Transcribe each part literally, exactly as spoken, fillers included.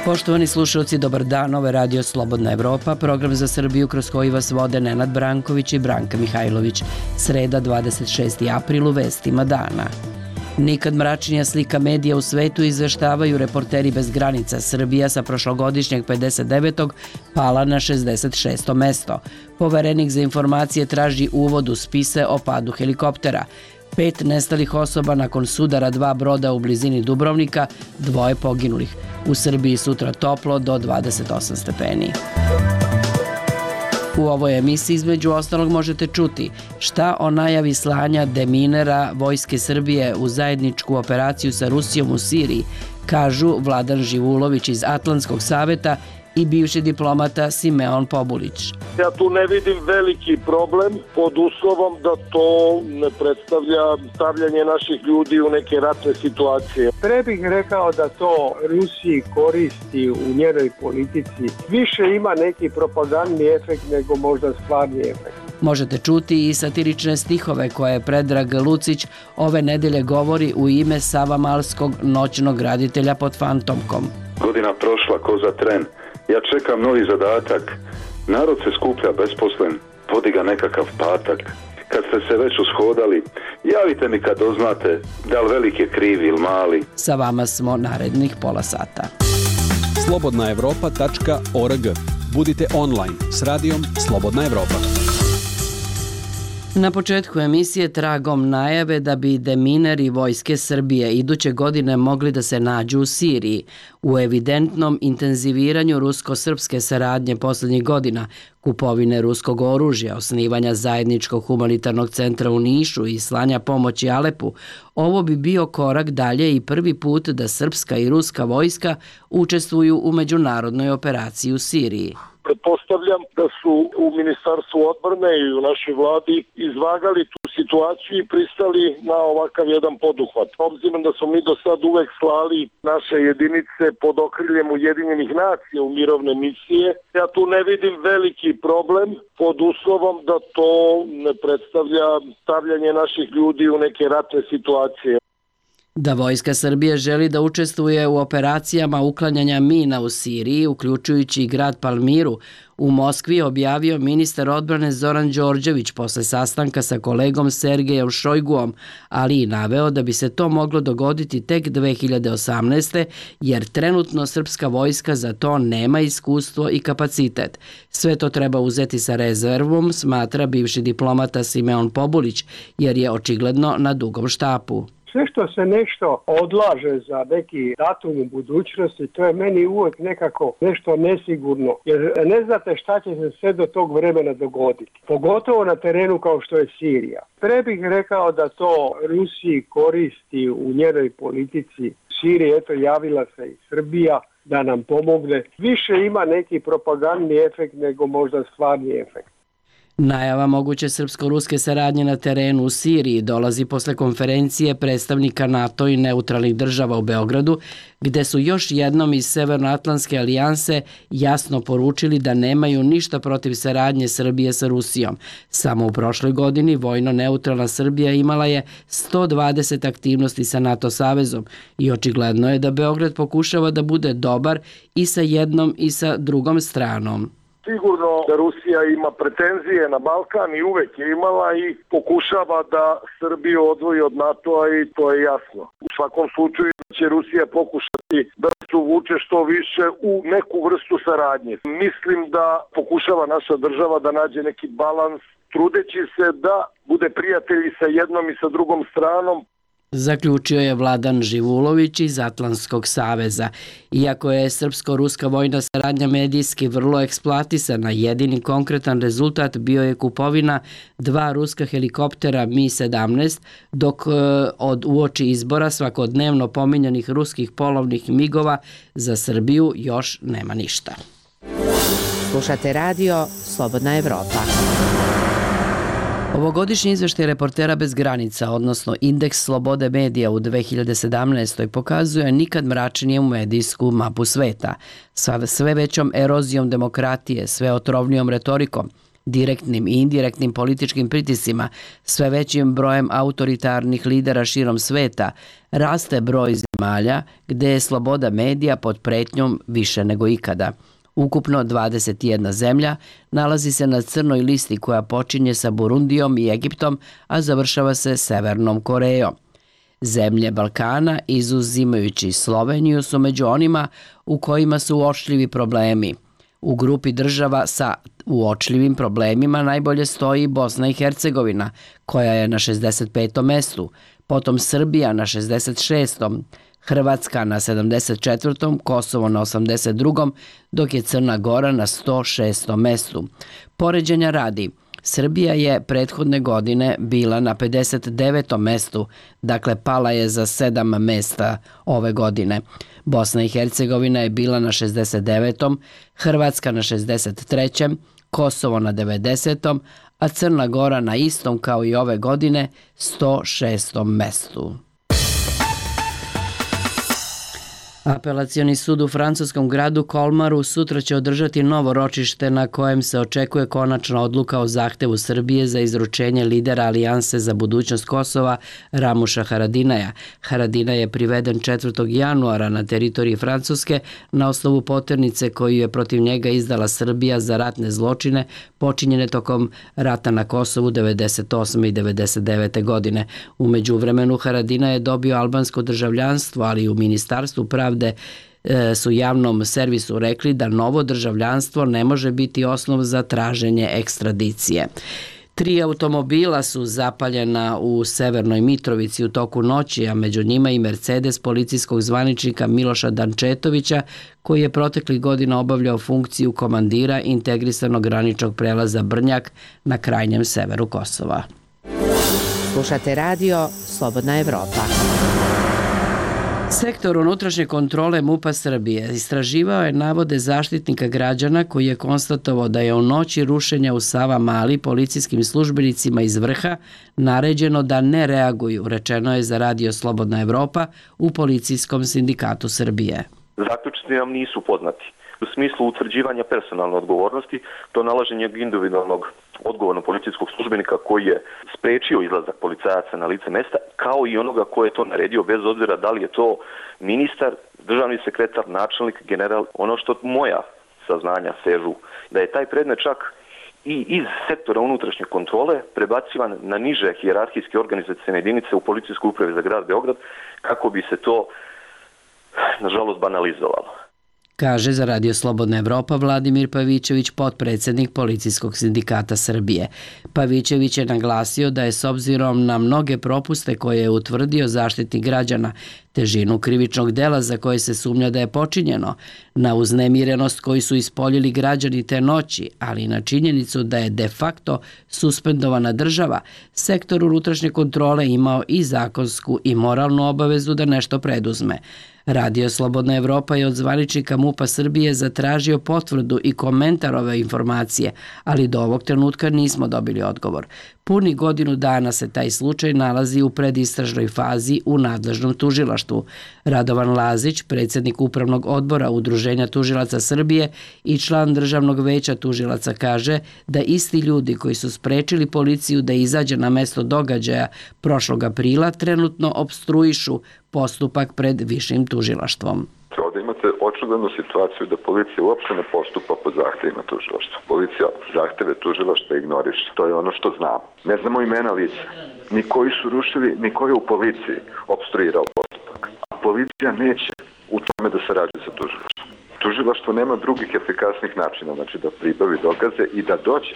Poštovani slušalci, dobar dan, ovo je Radio Slobodna Evropa, program za Srbiju kroz koji vas vode Nenad Branković i Branka Mihajlović. Sreda, dvadeset šesti april, u vestima dana. Nikad mračnija slika medija u svetu, izveštavaju Reporteri bez granica. Srbija sa prošlogodišnjeg pedeset devetog pala na šezdeset šesto mesto. Poverenik za informacije traži uvod u spise o padu helikoptera. Pet nestalih osoba nakon sudara dva broda u blizini Dubrovnika, dvoje poginulih. U Srbiji sutra toplo do dvadeset osam stepeni. U ovoj emisiji između ostalog možete čuti šta o najavi slanja deminera Vojske Srbije u zajedničku operaciju sa Rusijom u Siriji, kažu Vladan Živulović iz Atlantskog saveta i bivši diplomata Simeon Pobulić. Ja tu ne vidim veliki problem pod uslovom da to ne predstavlja stavljanje naših ljudi u neke ratne situacije. Pre bih rekao da to Rusiji koristi u njenoj politici. Više ima neki propagandni efekt nego možda stvarni efekt. Možete čuti i satirične stihove koje Predrag Lucić ove nedelje govori u ime Savamalskog noćnog graditelja pod fantomkom. Godina prošla ko za tren. Ja čekam novi zadatak. Narod se skuplja besposlen, vodi ga nekakav patak. Kad ste se već ushodali, javite mi kad doznate da li veliki je kriv ili mali. Sa vama smo narednih pola sata. slobodna evropa tačka org. Budite online s radijom Slobodna Evropa. Na početku emisije tragom najave da bi demineri Vojske Srbije iduće godine mogli da se nađu u Siriji. U evidentnom intenziviranju rusko-srpske saradnje posljednjih godina, kupovine ruskog oružja, osnivanja zajedničkog humanitarnog centra u Nišu i slanja pomoći Alepu, ovo bi bio korak dalje i prvi put da srpska i ruska vojska učestvuju u međunarodnoj operaciji u Siriji. Pretpostavljam da su u Ministarstvu odbrane i u našoj vladi izvagali tu situaciju i pristali na ovakav jedan poduhvat. Obzirom da smo mi do sad uvek slali naše jedinice pod okriljem Ujedinjenih nacija u mirovne misije, ja tu ne vidim veliki problem pod uslovom da to ne predstavlja stavljanje naših ljudi u neke ratne situacije. Da Vojska Srbije želi da učestvuje u operacijama uklanjanja mina u Siriji, uključujući i grad Palmiru, u Moskvi objavio ministar odbrane Zoran Đorđević posle sastanka sa kolegom Sergejem Šojguom, ali i naveo da bi se to moglo dogoditi tek dve hiljade osamnaeste. jer trenutno srpska vojska za to nema iskustvo i kapacitet. Sve to treba uzeti sa rezervom, smatra bivši diplomata Simeon Pobulić, jer je očigledno na dugom štapu. Sve što se nešto odlaže za neki datum u budućnosti, to je meni uvijek nekako nešto nesigurno, jer ne znate šta će se sve do tog vremena dogoditi. Pogotovo na terenu kao što je Sirija. Pre bih rekao da to Rusiji koristi u njenoj politici. Siriji, eto, javila se i Srbija da nam pomogne. Više ima neki propagandni efekt nego možda stvarni efekt. Najava moguće srpsko-ruske saradnje na terenu u Siriji dolazi posle konferencije predstavnika NATO i neutralnih država u Beogradu, gde su još jednom iz Severnoatlantske alijanse jasno poručili da nemaju ništa protiv saradnje Srbije sa Rusijom. Samo u prošloj godini vojno-neutralna Srbija imala je sto dvadeset aktivnosti sa NATO savezom i očigledno je da Beograd pokušava da bude dobar i sa jednom i sa drugom stranom. Sigurno da Rusija ima pretenzije na Balkan i uvek je imala i pokušava da Srbiju odvoji od NATO-a i to je jasno. U svakom slučaju će Rusija pokušati da se uvuče što više u neku vrstu saradnje. Mislim da pokušava naša država da nađe neki balans, trudeći se da bude prijatelji sa jednom i sa drugom stranom. Zaključio je Vladan Živulović iz Atlantskog saveza. Iako je srpsko-ruska vojna saradnja medijski vrlo eksploatisana, jedini konkretan rezultat bio je kupovina dva ruska helikoptera Mi sedamnaest, dok od uoči izbora svakodnevno pominjanih ruskih polovnih migova za Srbiju još nema ništa. Slušate radio Slobodna Evropa. Ovogodišnji izveštaj Reportera bez granica, odnosno Indeks slobode medija u dve hiljade sedamnaestoj pokazuje nikad mračnije medijsku mapu sveta, sa sve većom erozijom demokratije, sve otrovnijom retorikom, direktnim i indirektnim političkim pritiscima, sve većim brojem autoritarnih lidera širom sveta, raste broj zemalja gde je sloboda medija pod pretnjom više nego ikada. Ukupno dvadeset jedna zemlja nalazi se na crnoj listi koja počinje sa Burundijom i Egiptom, a završava se Severnom Korejom. Zemlje Balkana, izuzimajući Sloveniju, su među onima u kojima su uočljivi problemi. U grupi država sa uočljivim problemima najbolje stoji Bosna i Hercegovina, koja je na šezdeset petom mestu, potom Srbija na šezdeset šestom, Hrvatska na sedamdeset četvrtom, Kosovo na osamdeset drugom, dok je Crna Gora na sto šestom mestu. Poređenja radi, Srbija je prethodne godine bila na pedeset devetom mestu, dakle pala je za sedam mesta ove godine. Bosna i Hercegovina je bila na šezdeset devetom, Hrvatska na šezdeset trećem, Kosovo na devedesetom, a Crna Gora na istom kao i ove godine sto šestom mestu. Apelacioni sud u francuskom gradu Kolmaru sutra će održati novo ročište na kojem se očekuje konačna odluka o zahtevu Srbije za izručenje lidera Alijanse za budućnost Kosova Ramuša Haradinaja. Haradinaj je priveden četvrtog januara na teritoriji Francuske na osnovu poternice koju je protiv njega izdala Srbija za ratne zločine počinjene tokom rata na Kosovu devedeset osme i devedeset devete godine. U međuvremenu Haradinaj je dobio albansko državljanstvo, ali u Ministarstvu pravde su javnom servisu rekli da novo državljanstvo ne može biti osnov za traženje ekstradicije. Tri automobila su zapaljena u Severnoj Mitrovici u toku noći, a među njima i Mercedes policijskog zvaničnika Miloša Dančetovića, koji je proteklih godina obavljao funkciju komandira integrisanog graničnog prelaza Brnjak na krajnjem severu Kosova. Slušate radio Slobodna Evropa. Sektor unutrašnje kontrole MUP-a Srbije istraživao je navode zaštitnika građana koji je konstatovao da je u noći rušenja u Savamali policijskim službenicima iz Vrha naređeno da ne reaguju, rečeno je za radio Slobodna Evropa u Policijskom sindikatu Srbije. Zaključci nam nisu poznati. U smislu utvrđivanja personalne odgovornosti, to nalaženje individualnog odgovornog policijskog službenika koji je sprečio izlazak policajaca na lice mesta, kao i onoga ko je to naredio, bez obzira da li je to ministar, državni sekretar, načelnik, general. Ono što moja saznanja sežu, da je taj predmet čak i iz sektora unutrašnje kontrole prebacivan na niže hijerarhijske organizacijne jedinice u Policijskoj upravi za grad Beograd, kako bi se to, nažalost, banalizovalo. Kaže za radio Slobodna Evropa Vladimir Pavićević, potpredsjednik Policijskog sindikata Srbije. Pavićević je naglasio da je s obzirom na mnoge propuste koje je utvrdio zaštitnik građana, težinu krivičnog dela za koje se sumnja da je počinjeno, na uznemirenost koju su ispoljili građani te noći, ali i na činjenicu da je de facto suspendovana država, sektor unutrašnje kontrole imao i zakonsku i moralnu obavezu da nešto preduzme. Radio Slobodna Evropa je od zvaničnika MUP-a Srbije zatražio potvrdu i komentar ove informacije, ali do ovog trenutka nismo dobili odgovor. Puni godinu dana se taj slučaj nalazi u predistražnoj fazi u nadležnom tužilaštvu. Radovan Lazić, predsjednik Upravnog odbora Udruženja tužilaca Srbije i član Državnog veća tužilaca, kaže da isti ljudi koji su sprečili policiju da izađe na mesto događaja prošlog aprila trenutno opstruišu postupak pred višim tužilaštvom. Ovdje imate očiglednu situaciju da policija uopšte ne postupa po zahtevima tužilaštva. Policija zahteve tužilaštva ignoriše. To je ono što znamo. Ne znamo imena lica. Ni koji su rušili, ni koji je u policiji opstruirao postupak. A policija neće u tome da sarađuje sa tužilaštvom. Tužilaštvo nema drugih efikasnih načina, znači da pribavi dokaze i da dođe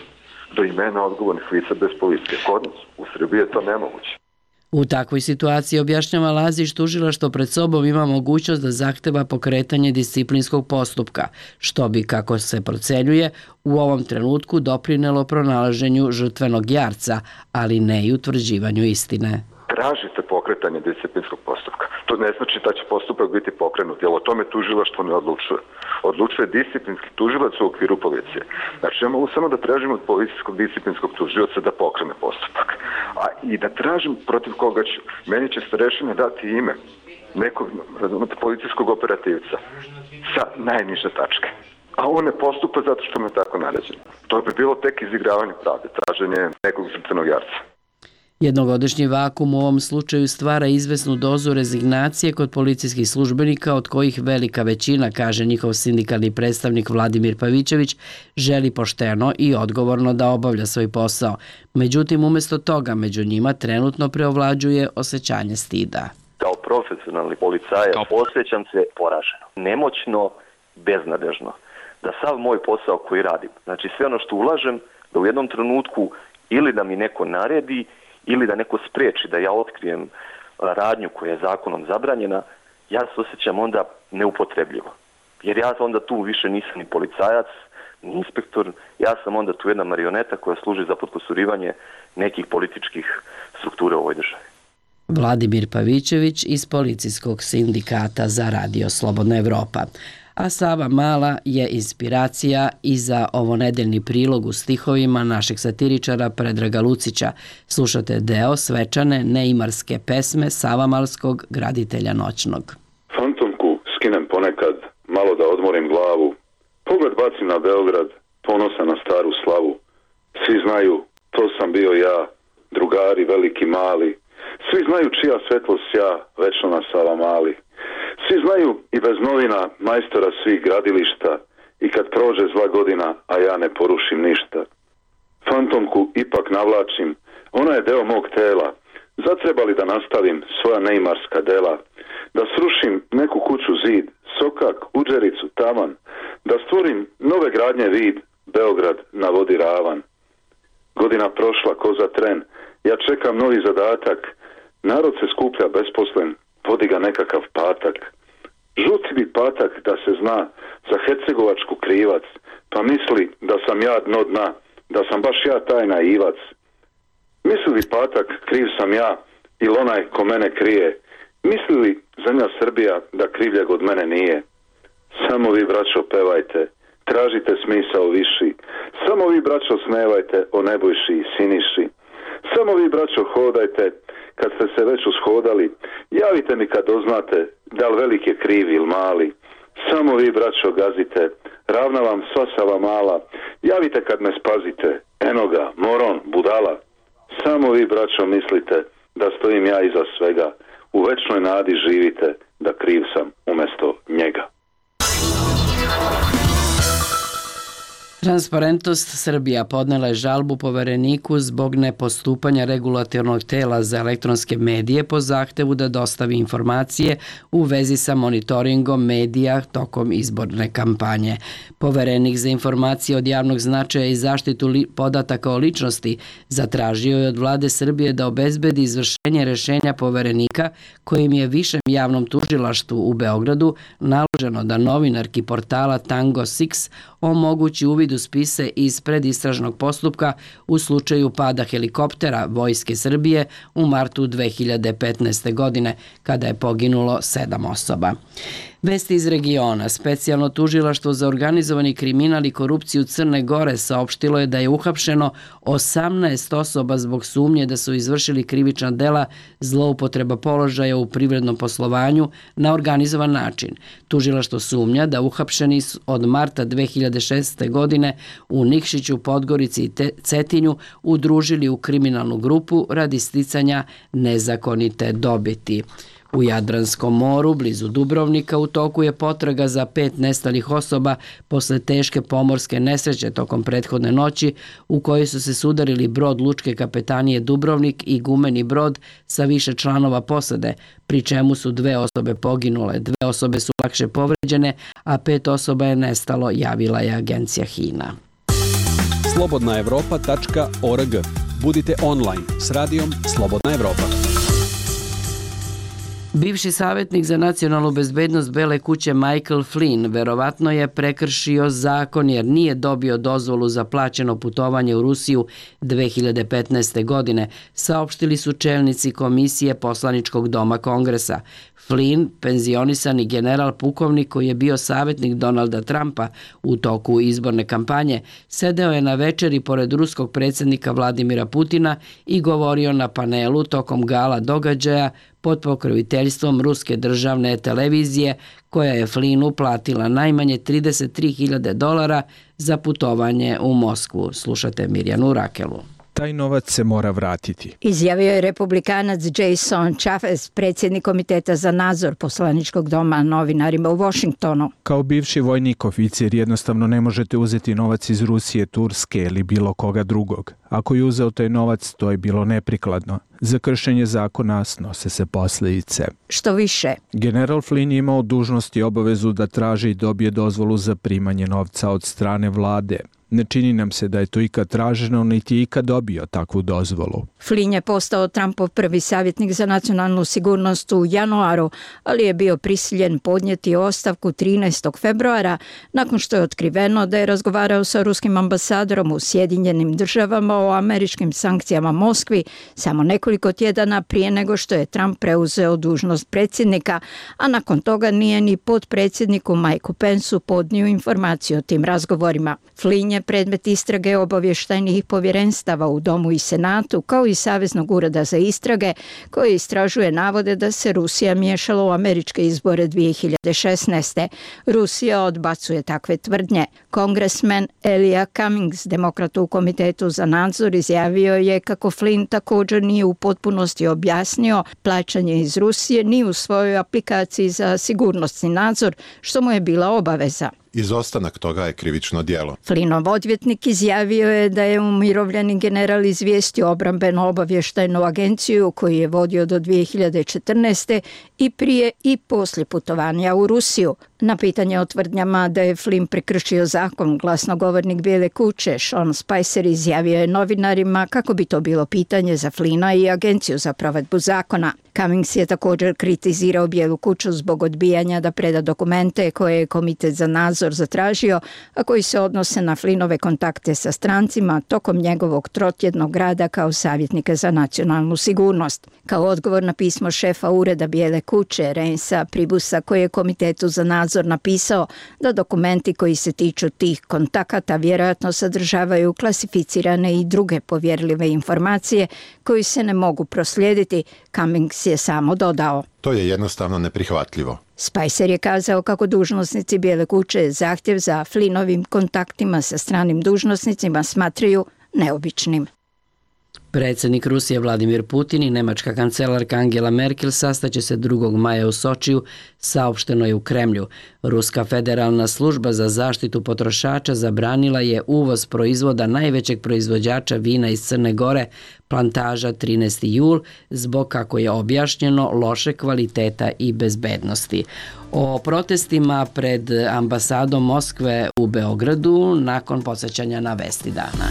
do imena odgovornih lica bez policije. Kod nas u Srbiji je to nemoguće. U takvoj situaciji, objašnjava Lazić, tužilaštvo pred sobom ima mogućnost da zahteva pokretanje disciplinskog postupka, što bi, kako se procenjuje, u ovom trenutku doprinelo pronalaženju žrtvenog jarca, ali ne i utvrđivanju istine. Tražite pokretanje disciplinskog postupka. To ne znači da će postupak biti pokrenut, jer o tome tužilaštvo ne odlučuje. Odlučuje disciplinski tužilac u okviru policije. Znači, ja mogu samo da tražim od policijskog disciplinskog tužioca da pokrene postupak. A i da tražim protiv koga ću. Meni će starešina dati ime nekog policijskog operativca sa najniže tačke. a on ne postupa zato što mu je tako naređeno. To bi bilo tek izigravanje pravde, traženje nekog crnog jarca. Jednogodišnji vakum u ovom slučaju stvara izvesnu dozu rezignacije kod policijskih službenika, od kojih velika većina, kaže njihov sindikalni predstavnik Vladimir Pavićević, želi pošteno i odgovorno da obavlja svoj posao. Međutim, umjesto toga, među njima trenutno preovlađuje osjećanje stida. Kao profesionalni policajac osjećam se poraženo, nemoćno, beznadežno. Da sav moj posao koji radim, znači sve ono što ulažem, da u jednom trenutku ili da mi neko naredi, ili da neko spriječi da ja otkrijem radnju koja je zakonom zabranjena, ja se osjećam onda neupotrebljivo. Jer ja onda tu više nisam ni policajac, ni inspektor, ja sam onda tu jedna marioneta koja služi za potkusurivanje nekih političkih struktura u ovoj državi. Vladimir Pavićević iz Policijskog sindikata za Radio Slobodna Evropa. A Sava Mala je inspiracija i za ovonedeljni prilog u stihovima našeg satiričara Predraga Lucića. Slušate deo svečane neimarske pesme Savamalskog graditelja noćnog. Fantomku skinem ponekad, malo da odmorim glavu. Pogled bacim na Beograd, ponosan na staru slavu. Svi znaju, to sam bio ja, drugari veliki mali. Svi znaju čija svetlost ja, večno na Savamali. Svi znaju i bez novina majstora svih gradilišta i kad prođe zla godina, a ja ne porušim ništa. Fantomku ipak navlačim, ona je deo mog tela. Zatreba li da nastavim svoja neimarska dela? Da srušim neku kuću zid, sokak, uđericu, tavan. Da stvorim nove gradnje vid, Beograd na vodi ravan. Godina prošla ko za tren, ja čekam novi zadatak. Narod se skuplja besposlen, vodi ga nekakav patak. Žuti bi patak da se zna za hercegovačku krivac, pa misli da sam ja dno dna, da sam baš ja taj naivac. Misli li patak kriv sam ja ili onaj ko mene krije? Misli li zemlja Srbija da krivljeg od mene nije? Samo vi, braćo, pevajte, tražite smisao viši. Samo vi, braćo, smevajte o Nebojši i Siniši. Samo vi, braćo, hodajte, kad ste se već ushodali, javite mi kad doznate da li velik je kriv ili mali. Samo vi, braćo, gazite, ravna vam sva Sava Mala, javite kad me spazite, eno ga, moron, budala. Samo vi, braćo, mislite da stojim ja iza svega, u večnoj nadi živite da kriv sam umjesto njega. Transparentnost Srbija podnela je žalbu povereniku zbog nepostupanja regulatornog tela za elektronske medije po zahtevu da dostavi informacije u vezi sa monitoringom medija tokom izborne kampanje. Poverenik za informacije od javnog značaja i zaštitu podataka o ličnosti zatražio je od vlade Srbije da obezbedi izvršenje rešenja poverenika kojim je Višem javnom tužilaštvu u Beogradu naloženo da novinarki portala Tango šest omogući uvid u spise iz predistražnog postupka u slučaju pada helikoptera Vojske Srbije u martu dve hiljade petnaeste. godine, kada je poginulo sedam osoba. Vesti iz regiona. Specijalno tužilaštvo za organizovani kriminal i korupciju Crne Gore saopštilo je da je uhapšeno osamnaest osoba zbog sumnje da su izvršili krivična dela zloupotreba položaja u privrednom poslovanju na organizovan način. Tužilaštvo sumnja da uhapšeni od marta dve hiljade šestnaeste. godine u Nikšiću, Podgorici i Cetinju udružili u kriminalnu grupu radi sticanja nezakonite dobiti. U Jadranskom moru, blizu Dubrovnika, u toku je potraga za pet nestalih osoba posle teške pomorske nesreće tokom prethodne noći u kojoj su se sudarili brod Lučke kapetanije Dubrovnik i gumeni brod sa više članova posade, pri čemu su dve osobe poginule, dve osobe su lakše povređene, a pet osoba je nestalo, javila je agencija Hina. slobodna evropa tačka org. Budite online s radijom Slobodna Evropa. Bivši savjetnik za nacionalnu bezbednost Bele kuće Michael Flynn verovatno je prekršio zakon jer nije dobio dozvolu za plaćeno putovanje u Rusiju dve hiljade petnaeste. godine, saopštili su čelnici Komisije poslaničkog doma Kongresa. Flynn, penzionisani general pukovnik koji je bio savjetnik Donalda Trumpa u toku izborne kampanje, sedeo je na večeri pored ruskog predsjednika Vladimira Putina i govorio na panelu tokom gala događaja pod pokroviteljstvom ruske državne televizije, koja je Flinu platila najmanje trideset tri hiljade dolara za putovanje u Moskvu. Slušate Mirjanu Rakelu. Taj novac se mora vratiti, izjavio je republikanac Jason Chaffetz, predsjednik Komiteta za nadzor poslaničkog doma, novinarima u Washingtonu. Kao bivši vojnik oficir jednostavno ne možete uzeti novac iz Rusije, Turske ili bilo koga drugog. Ako je uzeo taj novac, to je bilo neprikladno. Za kršenje zakona snose se posljedice. Što više, general Flynn je imao dužnost i obavezu da traži i dobije dozvolu za primanje novca od strane vlade. Ne čini nam se da je to ikad traženo, niti je ikad dobio takvu dozvolu. Flynn je postao Trumpov prvi savjetnik za nacionalnu sigurnost u januaru, ali je bio prisiljen podnijeti ostavku trinaestog februara nakon što je otkriveno da je razgovarao sa ruskim ambasadorom u Sjedinjenim državama o američkim sankcijama Moskvi samo nekoliko tjedana prije nego što je Trump preuzeo dužnost predsjednika, a nakon toga nije ni potpredsjedniku Mikeu Penceu podnio informaciju o tim razgovorima. Flynn je predmet istrage obavještajnih povjerenstava u Domu i Senatu, kao i Saveznog ureda za istrage, koji istražuje navode da se Rusija miješala u američke izbore dvije hiljade šesnaeste. Rusija odbacuje takve tvrdnje. Kongresmen Elijah Cummings, demokrat u Komitetu za nadzor, izjavio je kako Flynn također nije u potpunosti objasnio plaćanje iz Rusije ni u svojoj aplikaciji za sigurnosni nadzor, što mu je bila obaveza. Izostanak toga je krivično djelo. Flynnov odvjetnik izjavio je da je umirovljeni general izvijestio obrambeno obavještajnu agenciju koju je vodio do dvije hiljade četrnaeste i prije i poslije putovanja u Rusiju. Na pitanje o tvrdnjama da je Flynn prekršio zakon, glasnogovornik Bijele kuće Sean Spicer izjavio je novinarima kako bi to bilo pitanje za Flynna i agenciju za provedbu zakona. Cummings je također kritizirao Bijelu kuću zbog odbijanja da preda dokumente koje je Komitet za nadzor zatražio, a koji se odnose na Flynnove kontakte sa strancima tokom njegovog trotjednog rada kao savjetnika za nacionalnu sigurnost. Kao odgovor na pismo šefa ureda Bijele kuće Reinsa Pribusa, koji je Komitetu za nadzor napisao da dokumenti koji se tiču tih kontakata vjerojatno sadržavaju klasificirane i druge povjerljive informacije koji se ne mogu proslijediti, Cummings je samo dodao: to je jednostavno neprihvatljivo. Spicer je kazao kako dužnosnici Bijele kuće zahtjev za Flynnovim kontaktima sa stranim dužnosnicima smatraju neobičnim. Predsjednik Rusije Vladimir Putin i nemačka kancelarka Angela Merkel sastaće se drugog maja u Sočiju, saopšteno je u Kremlju. Ruska federalna služba za zaštitu potrošača zabranila je uvoz proizvoda najvećeg proizvođača vina iz Crne Gore, Plantaža trinaesti jul, zbog, kako je objašnjeno, loše kvaliteta i bezbednosti. O protestima pred ambasadom Moskve u Beogradu nakon podsjećanja na vesti dana.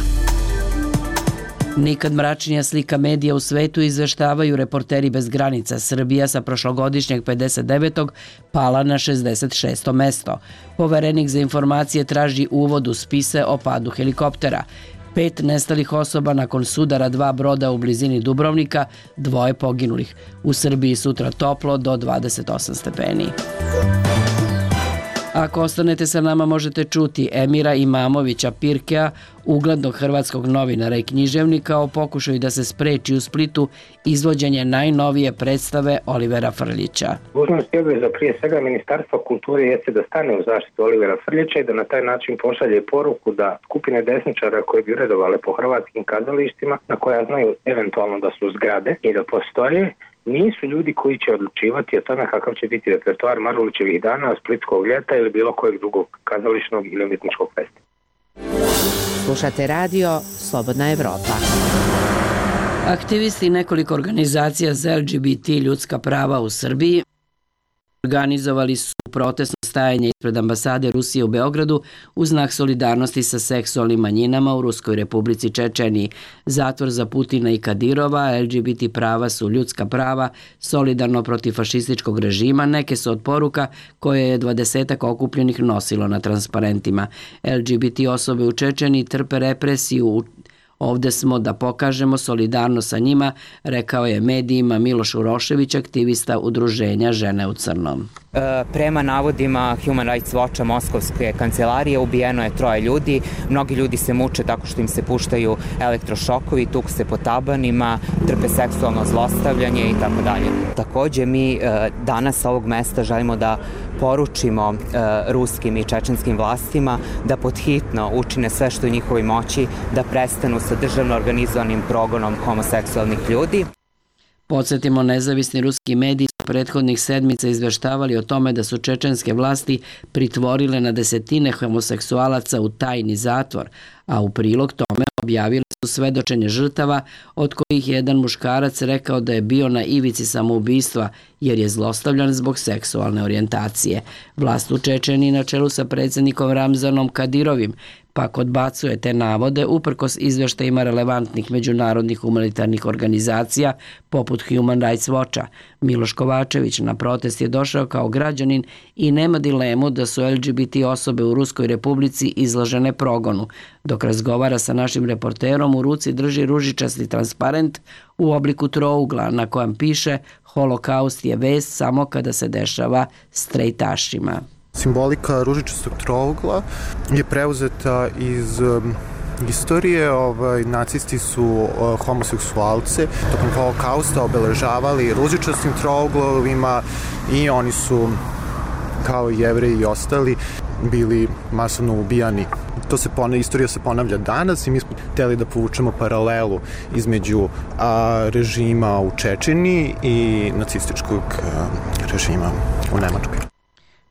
Nikad mračnija slika medija u svetu, izveštavaju Reporteri bez granica. Srbija sa prošlogodišnjeg pedeset devetog pala na šezdeset šesto mesto. Poverenik za informacije traži uvod u spise o padu helikoptera. Pet nestalih osoba nakon sudara dva broda u blizini Dubrovnika, dvoje poginulih. U Srbiji sutra toplo do dvadeset osam stepeni. Ako ostanete sa nama, možete čuti Emira Imamovića Pirkea, uglednog hrvatskog novinara i književnika, o pokušaju da se spreči u Splitu izvođenje najnovije predstave Olivera Frljića. Dužnost i obveza prije svega Ministarstva kulture jeste da stane u zaštitu Olivera Frljića i da na taj način pošalje poruku da skupine desničara koje bi uredovale po hrvatskim kazalištima, na koja znaju eventualno da su zgrade i da postoje, nisu ljudi koji će odlučivati o tome kakav će biti repertoar Marulićevih dana, Splitskog ljeta ili bilo kojeg drugog kazališnog ili umjetničkog festivala. Slušate radio Slobodna Evropa. Aktivisti nekoliko organizacija za L G B T ljudska prava u Srbiji organizovali su protestno stajanje ispred ambasade Rusije u Beogradu u znak solidarnosti sa seksualnim manjinama u Ruskoj Republici Čečeniji. Zatvor za Putina i Kadirova, L G B T prava su ljudska prava, solidarno protiv fašističkog režima, neke su od poruka koje je dvadesetak okupljenih nosilo na transparentima. L G B T osobe u Čečeniji trpe represiju Ovde smo da pokažemo solidarnost sa njima, rekao je medijima Miloš Urošević, aktivista udruženja Žene u crnom. Prema navodima Human Rights Watcha Moskovske kancelarije ubijeno je troje ljudi. Mnogi ljudi se muče tako što im se puštaju elektrošokovi, tuku se po tabanima, trpe seksualno zlostavljanje i tako dalje. Takođe mi danas sa ovog mesta želimo da poručimo ruskim i čečenskim vlastima da podhitno učine sve što je u njihovoj moći da prestanu sa državno organizovanim progonom homoseksualnih ljudi. Podsjetimo, nezavisni ruski mediji su prethodnih sedmica izveštavali o tome da su čečenske vlasti pritvorile na desetine homoseksualaca u tajni zatvor, a u prilog tome objavili su svedočenje žrtava, od kojih je jedan muškarac rekao da je bio na ivici samoubistva jer je zlostavljan zbog seksualne orijentacije. Vlast u Čečeniji na čelu sa predsjednikom Ramzanom Kadirovim pak odbacuje te navode uprkos izveštajima relevantnih međunarodnih humanitarnih organizacija poput Human Rights Watcha. Miloš Kovačević na protest je došao kao građanin i nema dilemu da su L G B T osobe u Ruskoj Republici izložene progonu. Dok razgovara sa našim reporterom, u ruci drži ružičasti transparent u obliku trougla na kojem piše "Holokaust je vest samo kada se dešava strejtašima". Simbolika ružičastog trougla je preuzeta iz um, istorije. Ovaj, nacisti su uh, homoseksualce tokom holokausta obeležavali ružičastim trouglovima i oni su, kao i Jevreji i ostali, bili masovno ubijani. To se ponavlja, istorija se ponavlja danas i mi smo hteli da povučemo paralelu između a, režima u Čečeniji i nacističkog a, režima u Nemačkoj.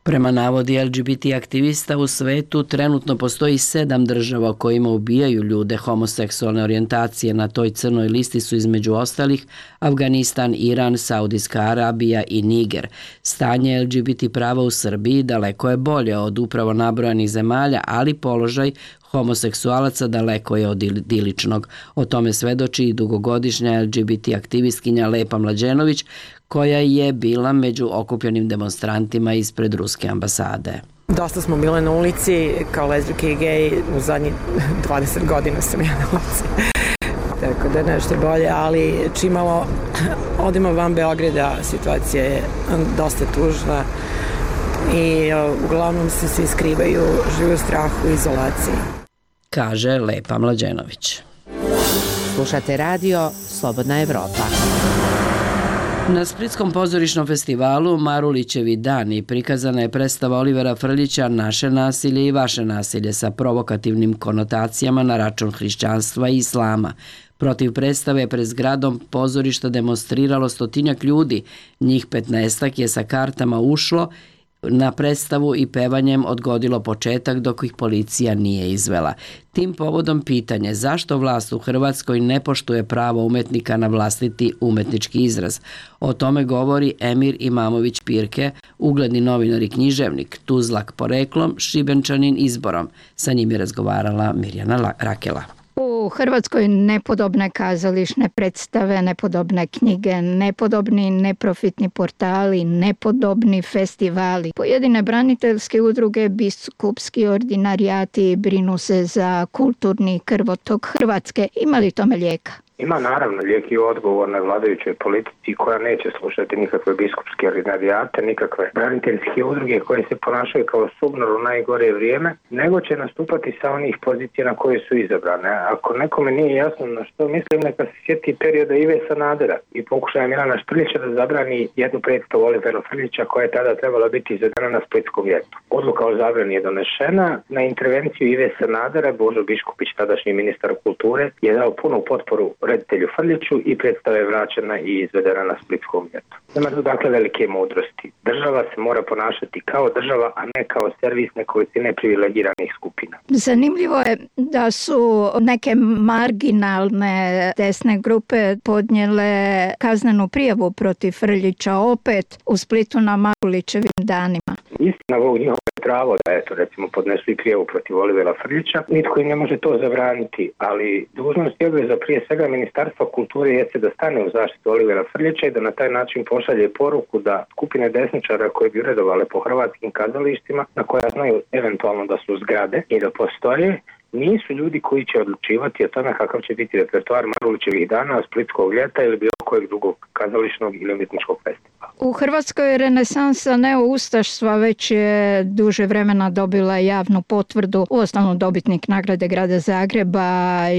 Prema navodi L G B T aktivista u svetu trenutno postoji sedam država u kojima ubijaju ljude homoseksualne orijentacije. Na toj crnoj listi su između ostalih Afganistan, Iran, Saudijska Arabija i Niger. Stanje L G B T prava u Srbiji daleko je bolje od upravo nabrojanih zemalja, ali položaj homoseksualaca daleko je od idiličnog. O tome svedoči i dugogodišnja L G B T aktivistkinja Lepa Mlađenović, koja je bila među okupljenim demonstrantima ispred ruske ambasade. Dosta smo bile na ulici, kao lezbijke i gej, u zadnjih dvadeset godina sam ja na ulici. Tako da nešto bolje, ali čimalo odimo van Beograda, situacija je dosta tužna i uglavnom se svi skrivaju, žive u strahu i izolaciji. Kaže Lepa Mlađenović. Slušate radio Slobodna Evropa. Na Splitskom pozorišnom festivalu Marulićevi dani prikazana je predstava Olivera Frljića "Naše nasilje i vaše nasilje" sa provokativnim konotacijama na račun hrišćanstva i islama. Protiv predstave pred zgradom pozorišta demonstriralo stotinjak ljudi, njih petnaestak je sa kartama ušlo na predstavu i pevanjem odgodilo početak dok ih policija nije izvela. Tim povodom pitanje zašto vlast u Hrvatskoj ne poštuje pravo umetnika na vlastiti umetnički izraz. O tome govori Emir Imamović Pirke, ugledni novinar i književnik, Tuzlak poreklom, Šibenčanin izborom. Sa njim je razgovarala Mirjana Rakela. U Hrvatskoj nepodobne kazališne predstave, nepodobne knjige, nepodobni neprofitni portali, nepodobni festivali. Pojedine braniteljske udruge, biskupski ordinarijati brinu se za kulturni krvotok Hrvatske. Ima li tome lijeka? Ima naravno lijek i odgovor na vladajućoj politici koja neće slušati nikakve biskupske ordinarijate, nikakve braniteljske udruge koje se ponašaju kao subnor u najgore vrijeme, nego će nastupati sa onih pozicija na koje su izabrane. Ako nekome nije jasno na što mislim, neka se sjeti perioda Ive Sanadera i pokušaja Milana Šprljića da zabrani jednu predstavu Olivera Frljića koja je tada trebala biti izvedena na Splitskom ljetu. Odluka o zabrani je donešena. Na intervenciju Ive Sanadera Božo Biškupić, tadašnji ministar kulture, je dao punu potporu reditelju Frljiću i predstava je vraćena i izvedena na Splitskom ljetu. Nema tu dakle velike mudrosti. Država se mora ponašati kao država, a ne kao servis nekolicine privilegiranih skupina. Zanimljivo je da su neke marginalne desne grupe podnijele kaznenu prijavu protiv Frljića opet u Splitu na Marulićevim danima. Istina, ovo njihovo pravo da eto recimo podnesu i prijavu protiv Olivera Frljića. Nitko im ne može to zabraniti, ali dužnost i obveza prije svega Ministarstva kulture jeste da stane u zaštitu Olivera Frljića i da na taj način pošalje poruku da skupine desničara koje bi uredovale po hrvatskim kazalištima, na koja znaju eventualno da su zgrade i da postoje, nisu ljudi koji će odlučivati o tome kakav će biti repertoar Marulićevih dana, Splitskog ljeta ili bilo kojeg drugog kazališnog ili umjetničkog festivala. U Hrvatskoj je renesansa neoustaštva već je duže vremena dobila javnu potvrdu. Uostalom dobitnik nagrade Grada Zagreba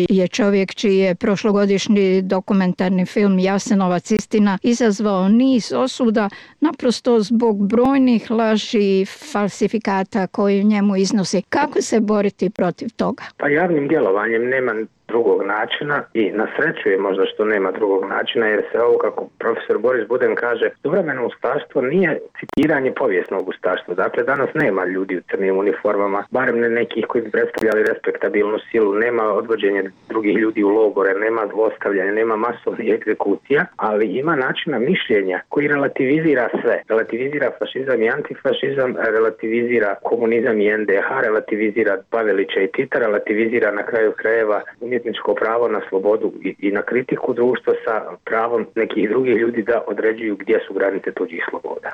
je čovjek čiji je prošlogodišnji dokumentarni film Jasenovac istina izazvao niz osuda naprosto zbog brojnih laži i falsifikata koji njemu iznosi. Kako se boriti protiv toga? Pa javnim djelovanjem nema drugog načina i na sreću je možda što nema drugog načina, jer se ovo, kako profesor Boris Buden kaže, suvremeno ustaštvo nije citiranje povijesnog ustaštva. Dakle, danas nema ljudi u crnim uniformama, barem ne nekih koji bi predstavljali respektabilnu silu, nema odvođenja drugih ljudi u logore, nema zlostavljanja, nema masovnih egzekucija, ali ima načina mišljenja koji relativizira sve. Relativizira fašizam i antifašizam, relativizira komunizam i en de ha, relativizira Pavelića i Tita, relativizira na kraju krajeva umjetničko pravo na slobodu i, i na kritiku društva sa pravom nekih drugih ljudi da određuju gdje su granice tuđih sloboda.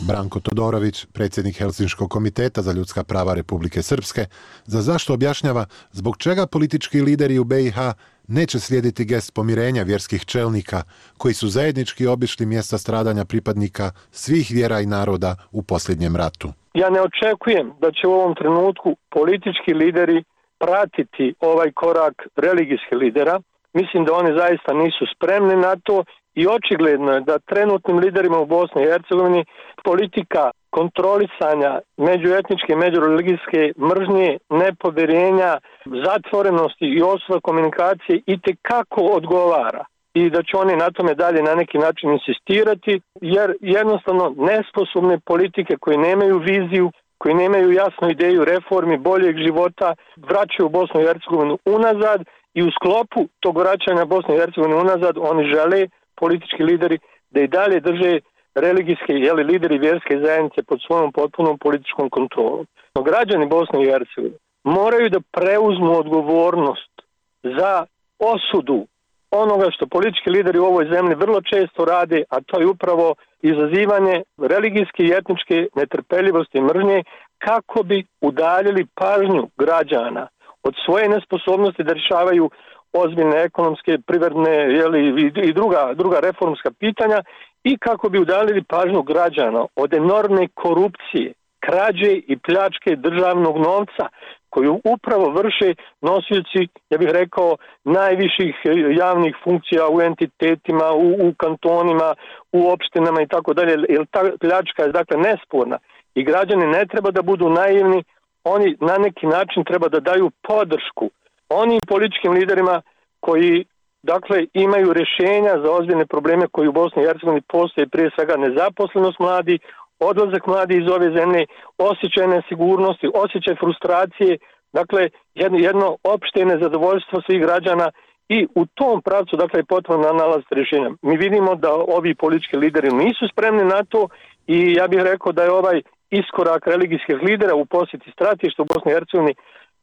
Branko Todorović, predsjednik Helsinškog komiteta za ljudska prava Republike Srpske, za zašto objašnjava zbog čega politički lideri u be i ha neće slijediti gest pomirenja vjerskih čelnika koji su zajednički obišli mjesta stradanja pripadnika svih vjera i naroda u posljednjem ratu. Ja ne očekujem da će u ovom trenutku politički lideri pratiti ovaj korak religijskih lidera. Mislim da oni zaista nisu spremni na to i očigledno je da trenutnim liderima u Bosni i Hercegovini politika kontrolisanja međuetničke i međureligijske mržnje, nepovjerenja, zatvorenosti i osuda komunikacije itekako odgovara i da će oni na tome dalje na neki način insistirati, jer jednostavno nesposobne politike koje nemaju viziju, koji nemaju jasnu ideju reformi boljeg života, vraćaju Bosnu i Hercegovinu unazad i u sklopu tog vraćanja Bosne i Hercegovine unazad oni žele, politički lideri, da i dalje drže religijske, jeli, lideri vjerske zajednice pod svojom potpunom političkom kontrolom. No građani Bosne i Hercegovine moraju da preuzmu odgovornost za osudu onoga što politički lideri u ovoj zemlji vrlo često rade, a to je upravo izazivanje religijske i etničke netrpeljivosti i mržnje kako bi udaljili pažnju građana od svoje nesposobnosti da rješavaju ozbiljne ekonomske, privredne, jeli, i druga, druga reformska pitanja i kako bi udaljili pažnju građana od enormne korupcije, krađe i pljačke državnog novca koju upravo vrše nosioci, ja bih rekao, najviših javnih funkcija u entitetima, u, u kantonima, u opštinama i tako dalje, jer ta pljačka je dakle nesporna i građani ne treba da budu naivni, oni na neki način treba da daju podršku onim političkim liderima koji dakle imaju rješenja za ozbiljne probleme koji u Bosni i Hercegovini postoje, prije svega nezaposlenost mladi, odlazak mladi iz ove zemlje, osjećaj nesigurnosti, osjećaj frustracije, dakle jedno, jedno opšte nezadovoljstvo svih građana i u tom pravcu dakle je potrebno nalaziti rješenja. Mi vidimo da ovi politički lideri nisu spremni na to i ja bih rekao da je ovaj iskorak religijskih lidera u posjeti stratišta u Bosni i Hercegovini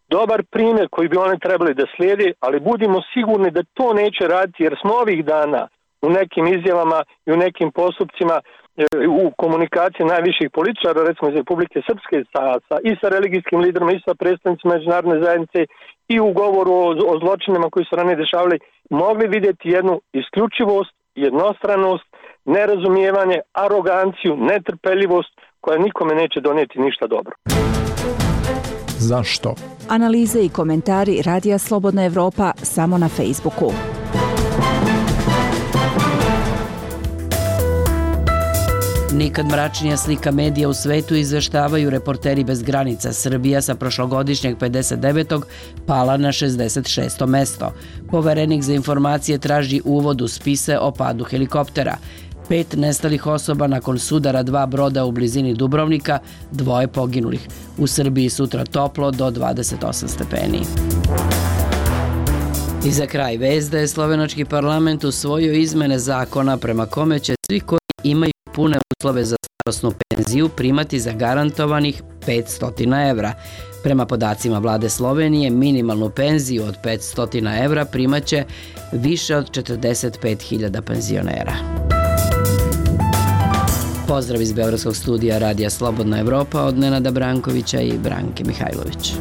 dobar primjer koji bi oni trebali da slijede, ali budimo sigurni da to neće raditi jer smo ovih dana u nekim izjavama i u nekim postupcima u komunikaciji najviših političara, recimo iz Republike Srpske, sa, sa, i sa religijskim liderima, i sa predstavnicima međunarodne zajednice i u govoru o, o zločinima koji su ranije dešavali, mogli vidjeti jednu isključivost, jednostranost, nerazumijevanje, aroganciju, netrpeljivost koja nikome neće donijeti ništa dobro. Zašto? Analize i komentari Radija Slobodna Evropa samo na Facebooku. Nikad mračnija slika medija u svetu izveštavaju Reporteri bez granica. Srbija sa prošlogodišnjeg pedeset devetog pala na šezdeset šesto mesto. Poverenik za informacije traži uvod u spise o padu helikoptera. Pet nestalih osoba nakon sudara dva broda u blizini Dubrovnika, dvoje poginulih. U Srbiji sutra toplo do dvadeset osam stepeni. I za kraj vest da je slovenački parlament usvojio izmene zakona prema kome će svi koji imaju pune uslove za starosnu penziju primati zagarantovanih petsto evra. Prema podacima vlade Slovenije, minimalnu penziju od petsto evra primaće više od četrdeset pet hiljada penzionera. Pozdrav iz Beogradskog studija Radija Slobodna Evropa od Nenada Brankovića i Branke Mihajlović.